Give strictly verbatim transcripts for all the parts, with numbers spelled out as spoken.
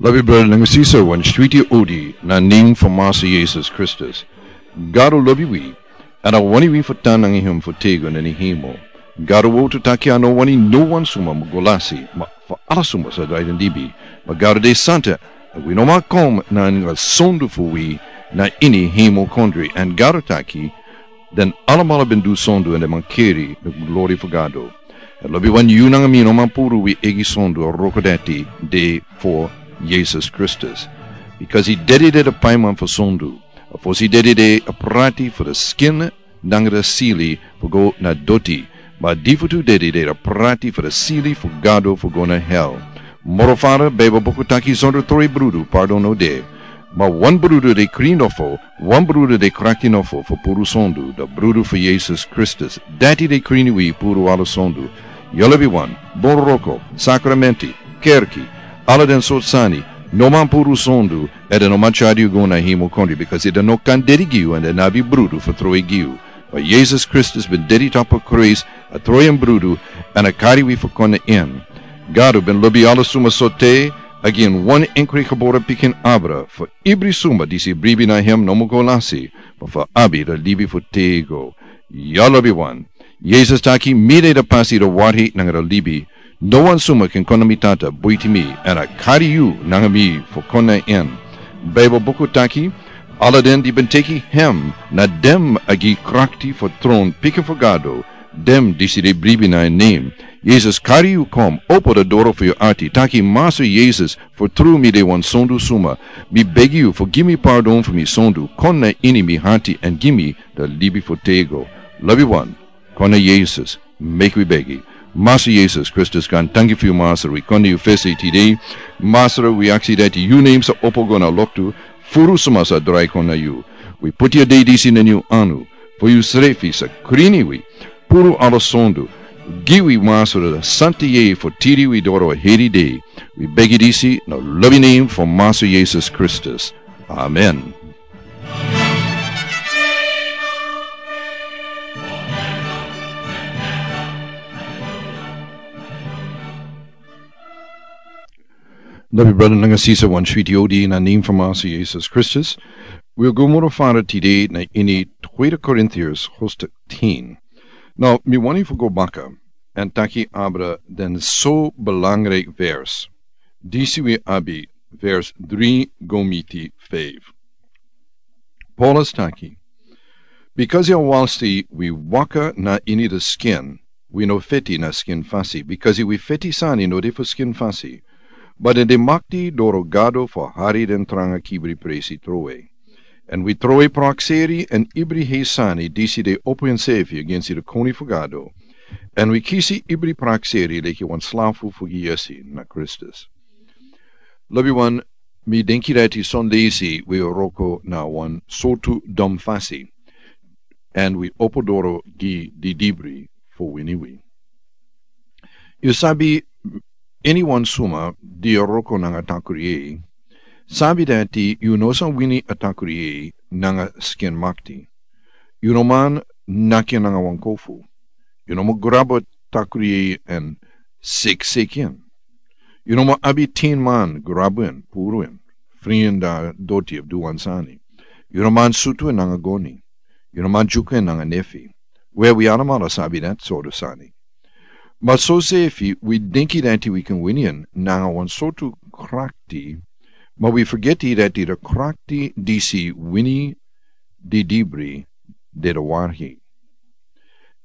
Lobi brada nanga sisa, wan switi odi na nen fu Masa Yesus Kristus. Gado lobi wi, èn a wani wi fu tan nanga hem fu tego na ini hemel. Gado wowtu taki a no wani no wan suma mu go lasi, ma fu ala suma sa drai den libi. Ma Gado de santa, èn wi no man kon na anga sondu fu wi na ini hemel kondre, èn Gado taki, den alamala ben du sondu èn den man keri na glori fu Gado. Èn lobi wan, yu nanga mi no man puru wi eigi sondu, a wroko dati de fu Yesus Kristus. Bikasi dede de a paiman fu sondu. A fosi dede de a prati fu a skin nanga a sili fu go na doti. Ma a difutu dede de a prati fu a sili fu Gado fu go na hel. Moro fara, Baibel buku taki, sondro tro brudu pardon no de. Ma wan brudu de krin nofo, wan brudu de krakti nofo fu puru sondu, a brudu fu Yesus Kristus. Dati de krin wi puru ala sondu. Yu lobi wan, bun wroko, sakramenti, kerki, ala den sortu sani, no man puru sondu, èn den no man tyari yu go na hemel kondre, bikasi den no kan dede gi yu èn den no abi brudu fu tro gi yu. Ma Yesus Kristus ben dede tapu a krusu, a tro en brudu, èn a kari wi fu kon na en. Gado ben lobi ala suma so te a gi en wan enkri gebore pikin abra, fu ibri suma disi bribi na hem no mu go lasi, ma fu abi a libi fu tego. Yu lobi wan, Yesus taki, mi de a pasi, a warhei nanga a libi. No wan suma kan kon na mi Tata buiti mi, èn a kari yu nanga mi fu kon na en. Baibel buku taki, ala den di ben teki hem, na den a gi krakti fu tron pikin fu Gado, den disi de bribi na en nen. Yesus kari yu kon, opo a doro fu yu ati, taki, Masa Yesus, fu tru mi de wan sondu suma. Mi begi yu fu gi mi pardon fu mi sondu, kon na ini mi ati èn gi mi a libi fu tego. Lobi wan, kon na Yesus, meki wi begi. Masa Yesus Kristus, kon, tanki fu yu Masra, wi kon na yu fesi tide. Masra, wi aksi dati yu nen sa opo go na loktu, furu suma sa drai kon na yu. Wi puti a dei disi na yu anu, fu yu srefi sa krin wi, puru ala sondu, gi wi Masra a santa yeye fu tiri wi doro a heri dei. Wi begi disi na lobi nen fu Masa Yesus Kristus. Amen. Lobi brada nanga sisa, wan switi odi na nen fu Masa Yesus Kristus. Wi o go moro fara tide na ini Tweede Korintiërs hoofdstuk tien. Now, mi wani fu go baka èn taki abra den so belangrijk vers. Disi wi abi vers dri go miti feifi. Paulus taki, bikasi a walsi wi waka na ini a skin, wi no feti na skin fasi, bikasi wi feti sani no de fu skin fasi, ma den de makti doro Gado fu hari den tranga kibri presi trowe. Èn wi trowe prakseri èn ibri hei sani disi de opo ensefi agensi a Koning fu Gado. Èn wi kisi ibri prakseri leki wan slafu fu gi yesi na Kristus. Lobi wan, mi denki dati son leisi wi wroko na wan sortu don fasi, èn wi opo doro gi didibri fu wini wi. Yu sabi, iniwan suma di wroko nanga takru yeye, sabi dati yu no sa wini a takru yeye nanga skin makti. Yu no man naki en nanga wan kofu. Yu no man grabu a takru yeye èn seki seki en. Yu no man abi tin man grabu en, puru en, fri en na doti of du wan sani. Yu no man sutu en nanga goni. Yu no man dyuku en nanga nefi. We, wi alamala sabi dati sortu sani. Ma soseefi wi denki dati wi kan wini en nanga wan sortu krakti, ma wi fergeti dati a krakti disi wini didibri de a warhei.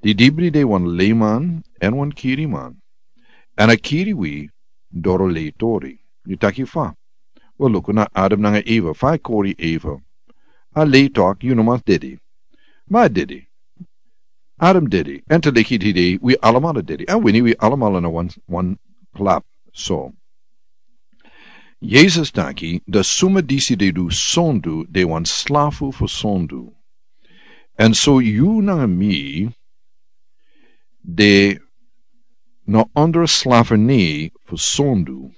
Didibri de wan leiman èn wan kiriman. Èn a kiri wi doro leitori. Yu taki fa? We, luku na Adam nanga Eva, fa a kori Eva. A lei taki yu no man dede. Ma a dede. Adam dede. Èn te leki tide wi alamala dede. A wini wi alamala na wan, wan klap. So Yesus taki, a suma disi de du sondu de wan slafu fu sondu. Èn so yu nanga mi de na ondro slaferni fu sondu.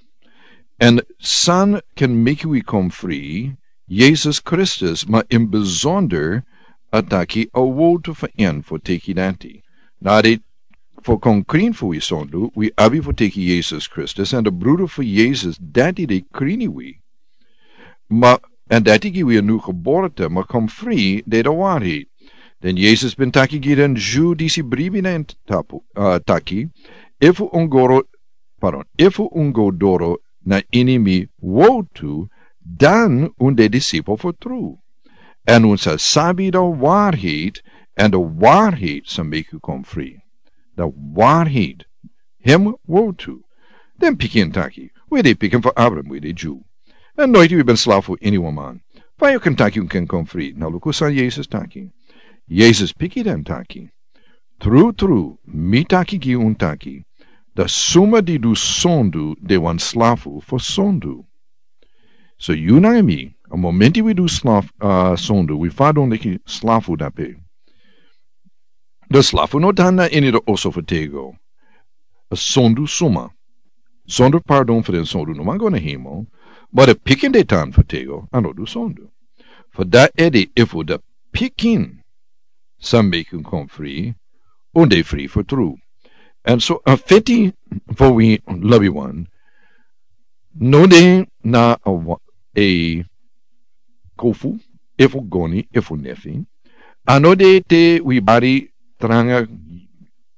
Èn san kan meki wi kon fri? Yesus Kristus, ma in bizonder a taki a wowtu fu en fu teki dati. Na a de fu kon krin fu wi sondu, wi abi fu teki Yesus Kristus, èn de brudu fu Yesus, dati de krini wi. Ma, èn dati gi wi a nu geborte, ma kon fri de de wari. Den Yesus ben taki gi den Ju disi bribi na en tapu, uh, taki, efu un goro, pardon, efu un go doro na ini mi wotu, dan un de disipel fu tru. Èn un sa sabi de wari, èn de wari sa meki un kon fri. De wari, hem wotu. Den pikin taki, wi de pikin fu Abraham, wi de Ju. Èn noiti wi ben slafu ini wan man. Fa yu kan taki un kan kon fri, na luku san Yesus taki. Yesus piki den taki. Tru, tru, mi taki gi un taki. De suma di du sondu de wan slafu fu sondu. So yu nanga mi, a momenti wi du slaf, uh, sondu, wi fadon leki slafu dape. De slafu no tan na ini de oso fu tego. A sondu suma. Sondu pardon fu den sondu no man go na hemel. Ma de pikin de tan fu tego, a no du sondu. Fu dati ede efu de pikin sa meki un kon fri, un de fri fu tru. Èn so a feti fu wi lobiwan, no de na a wa-, a kofu, efu goni, efu nefi. A no de te wi bari tranga,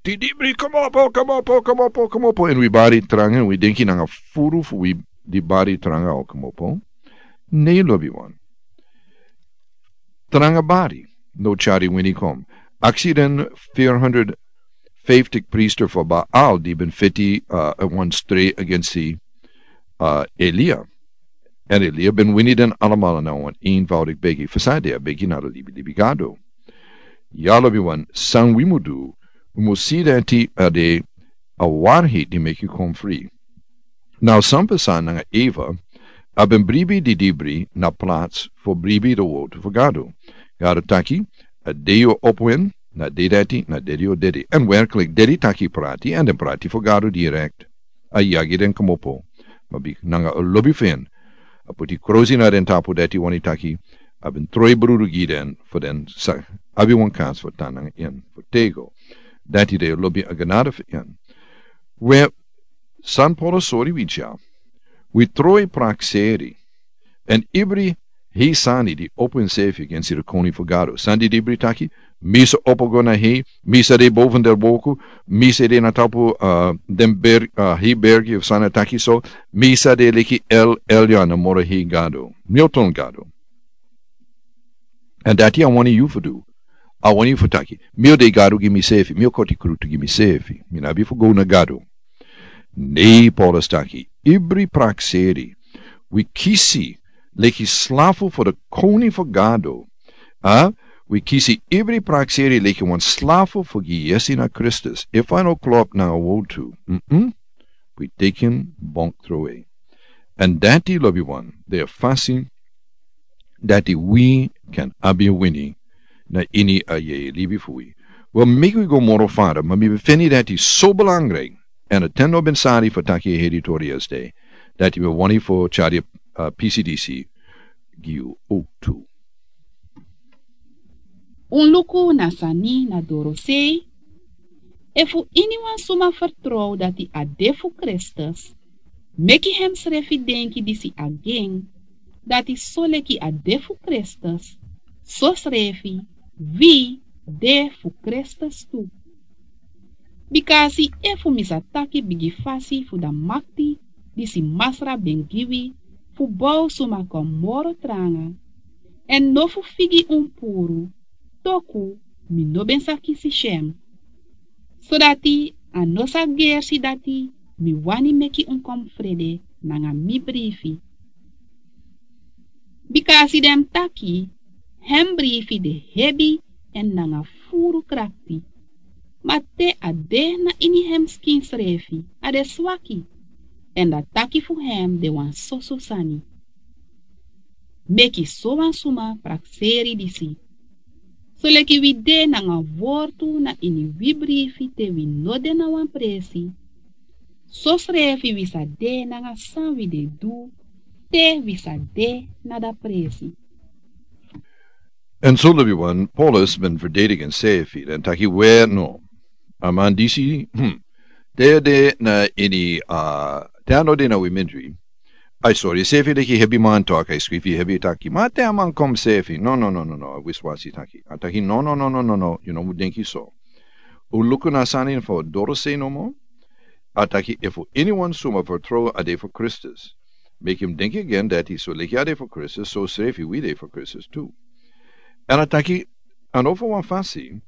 tidibri, komopo, komopo, komopo, komopo. Èn wi bari tranga, wi denki nanga furu fu wi di bari tranga o komopo. Ne lobiwan. Tranga bari, no tyari wini kon. Aksi den vierhonderdvijftig priester fu Baal di ben feti, uh, wan stri against, uh, Elia. Èn Elia ben wini den alamala na wan eenvoudig begi. Fu san de a begi na de libi, libi gado. Ya lobiwan, san wi mu du, wi mu si dati a de a wari di meki kon fri. Now, san pasa nanga Eva, a ben bribi didibri na plats fu bribi de wotu fu Gado. Gado taki, a de yu opo en, na de dati, na de yu o dede. Èn werklik, dede taki prati, èn den prati fu Gado direkt. A yagi den komopo. Ma bika nanga a lobi fu en, a poti krosi na den tapu dati wani taki, a ben troi brudu gi den, fu den sa, abi wan kans fu tan nanga en, fu tego. Dati de lobi a genade fu en. We, San Paulus sori wi dya. Wi troi prakseri. Èn ibri hei sani di opo ensefi against de koning fu Gado. San didibri taki, mi sa opo go na hei, mi sa de boven de wolken, mi sa de na tapu, uh, den berg, uh, hei bergi fu sani taki so, mi sa de leki El Elyon na moro hei Gado. Mi o ton Gado. Èn dati a wani yu fu du. A wani yu fu taki. Mi o de Gado gi misefi. Mi o koti krutu gi misefi. Mi no abi fu go na Gado. Ne Paulus taki. Ibri prakseri. Wi kisi leki slafu fu de koning fu Gado. A? Wi kisi ibri prakseri leki wan slafu fu gi yesi na Kristus. Efu a no klop nanga wotu. Mm-mm. Wi teki en bonk trowe. Èn dati lobiwan, de a fasi dati wi kan abi wini na ini a yeye libi fu wi. Wel, meki wi go moro fara, ma mi ben feni dati so belangrijk. Èn a ten no ben sari fu taki a heri tori esde. Dati mi wani fu tyari, uh, P C D C gi yu ook tu. Un luku na sani na dorosei. Efu iniwan suma fertrow dati a de fu Kristus, meki hemsrefi denki disi agen, dati soleki a de fu Kristus, sosrefi wi de fu Kristus tu. Bikasi efu mi sa taki bigi fasi fu dan makti disi Masra ben gi wi fu bow suma kon moro tranga, èn no fu figi un puru, toku mi no ben sa kisi syen. Sodati a no sa gersi dati mi wani meki un kon frede nanga mi brifi. Bikasi den taki, hem brifi de hebi èn nanga furu krakti. Ma te a de na ini hem skin srefi, a de swaki, èn dan taki fu hem de wan soso sani. Meki sowan suma prakseri disi. Soleki wi de nanga wortu na ini wi brifi te wi no de na wan presi, sosrefi wi sa de nanga san wi de du te wi sa de na dan presi. Èn so lobiwan, Paulus ben verdedig ensefi, dan taki we no. A man disi, hmm, te a de na ini, a, te a no de na wi mindri. A e sori enseefi leki hebi man, toku a e skrifi hebi taki, ma te a man kon seefi, no, no, no, no, no, a wiswasi taki. A taki, no, no, no, no, no, no, yu no mus denki so. Un luku na sani fu a dorosei nomo. A taki, efu iniwan suma fertrow a de fu Kristus, meki un denki again dati so leki a de fu Kristus, so srefi wi de fu Kristus tu. Èn a taki, a no fu wan fasi,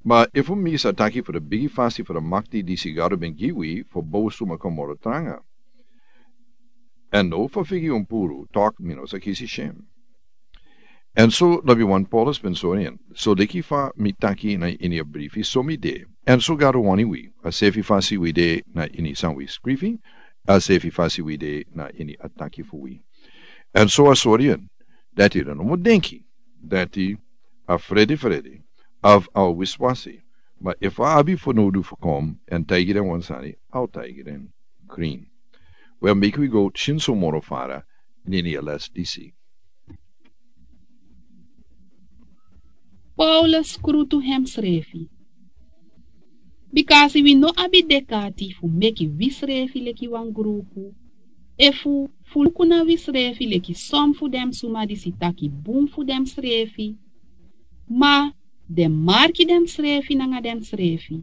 ma efu mi sa taki fu di bigi fasi fu di makti disi Gado ben gi wi fu bow suma kon moro tranga. Èn no fu figi un puru, toku mi no sa kisi syen. Èn so lobiwan, Paulus ben sori en, so leki fa mi taki na ini a brifi, so mi de. Èn so Gado wani wi, a seefi fasi wi de na ini san wi skrifi, a seefi fasi wi de na ini a taki fu wi. Èn so a sori en, dati den no mus denki dati a frede frede, of a wiswasi, ma efu a abi fanowdu fu kon èn taigi den wan sani, a o taigi den krin. Wel, meki wi go tyenso moro fara ini a les disi. Paulus skrutu hemsrefi. Bikasi wi no abi dek'ati fu meki wisrefi leki wan grupu, efu fu luku na wisrefi leki son fu den suma disi taki bun fu densrefi, ma den marki densrefi nanga densrefi,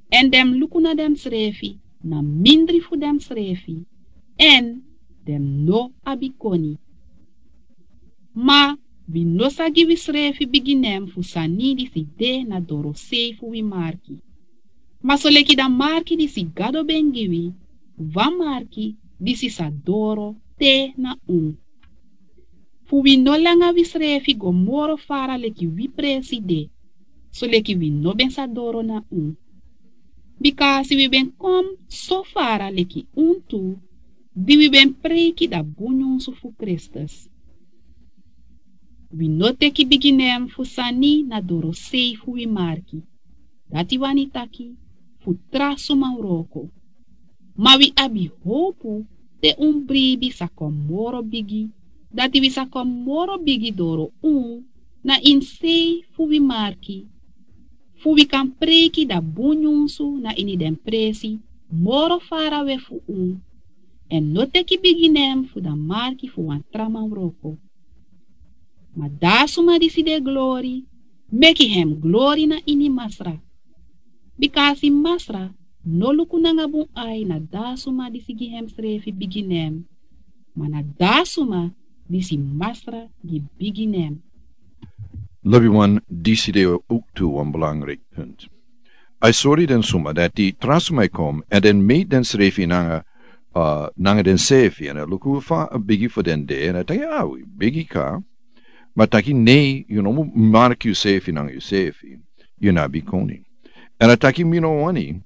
èn den luku na densrefi na mindri fu densrefi, èn den no abi koni. Ma wi no sa gi wisrefi bigi nen fu sani disi de na dorosei fu wi marki. Ma soleki dan marki disi Gado ben gi wi, wan marki disi sa doro te na unu. Fu wi no langa wisrefi go moro fara leki wi presi de, soleki wi no ben sa doro na unu. Bikasi wi ben kon so fara leki unu tu, di wi ben preiki dan bun nyunsu fu Kristus. Wi no teki bigi nen fu sani na dorosei fu wi marki. Dati wani taki fu tra suma wroko. Ma wi abi howpu te un bribi sa kon moro bigi, dati wi sa kon moro bigi doro unu na ini sei fu wi marki, fu wi kan preiki dan bun nyunsu na ini den presi moro farawe fu unu, èn no teki bigi nen fu dan marki fu wan tra man wroko. Ma dan a suma disi de glori, meki hem glori na ini Masra. Bikasi Masra no luku nanga bun ai na dan a suma disi gi hemsrefi bigi nen, ma na dan a suma disi Masra gi bigi nen. Lobiwan, disi de owktu wan belangriki punt. A e sori den suma dati tra suma e kon èn den meki densrefi nanga, a, nanga densrefi, èn a luku fa a bigi fu den de, èn a taki, a, wi bigi ka. Ma taki, nei, yu no mus marki yusrefi nanga yusrefi. Yu no abi koni. Èn a taki, mi no wani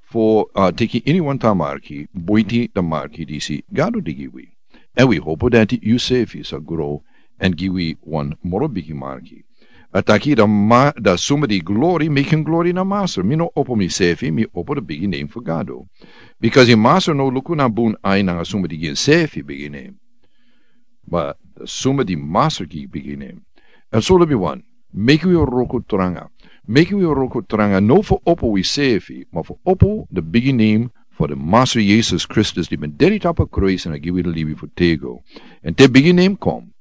fu, a, teki iniwan tra marki buiti dan marki disi Gado di gi wi. Èn wi howpu dati yusrefi sa gro èn gi wi wan moro bigi marki. A taki, dan ma, dan suma di glori, meki hem glori na Masra. Mi no opo misrefi, mi opo dan bigi nen fu Gado. Bikasi Masra no luku na bun ai nanga suma di gi hemsrefi bigi nen. Ma dan suma di Masra gi bigi nen. Èn so lobiwan, meki wi wroko tranga. Meki wi wroko tranga, no fu opo wisrefi, ma fu opo dan bigi nen fu den Masra Yesus Kristus di ben dede tapu a kruis èn a gi wi den libi fu têgo. Èn te bigi nen kon,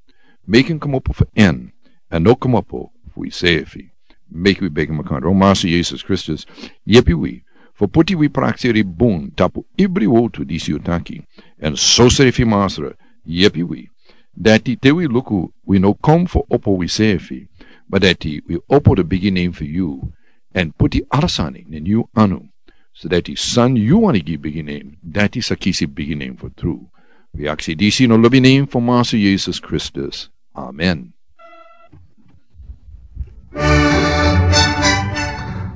meki hem kmopo fu en, èn no kmopo fu wisrefi. Meki wi begi makandra. O Masra Yesus Kristus, yepi wi fu poti wi prakseri bun tapu ibri wowtu disi yu taki. Èn sosrefi Masra, yepi wi dati te wi luku, wi no kon fu opo wisrefi, ma dati wi opo dan bigi nen fu yu, èn poti ala sani na ini yu anu, so dati san yu wani gi bigi nen, dati sa kisi bigi nen fu tru. Wi aksi disi na lobi nen fu Masra Yesus Kristus. Amen.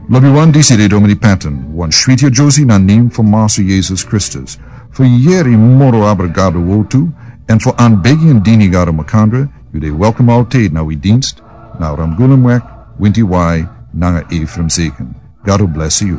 Lobiwan, disi de Domini Patton, wan switi yere na nen fu Masra Yesus Kristus. Fu yere moro abra Gado wowtu, èn fu anbegi èn dini Gado makandra, yu de welkom altijd na wi dienst, na Ramgoolam Wijk, Winti Wai, nanga Ephraim Zeken. Gado blesi yu.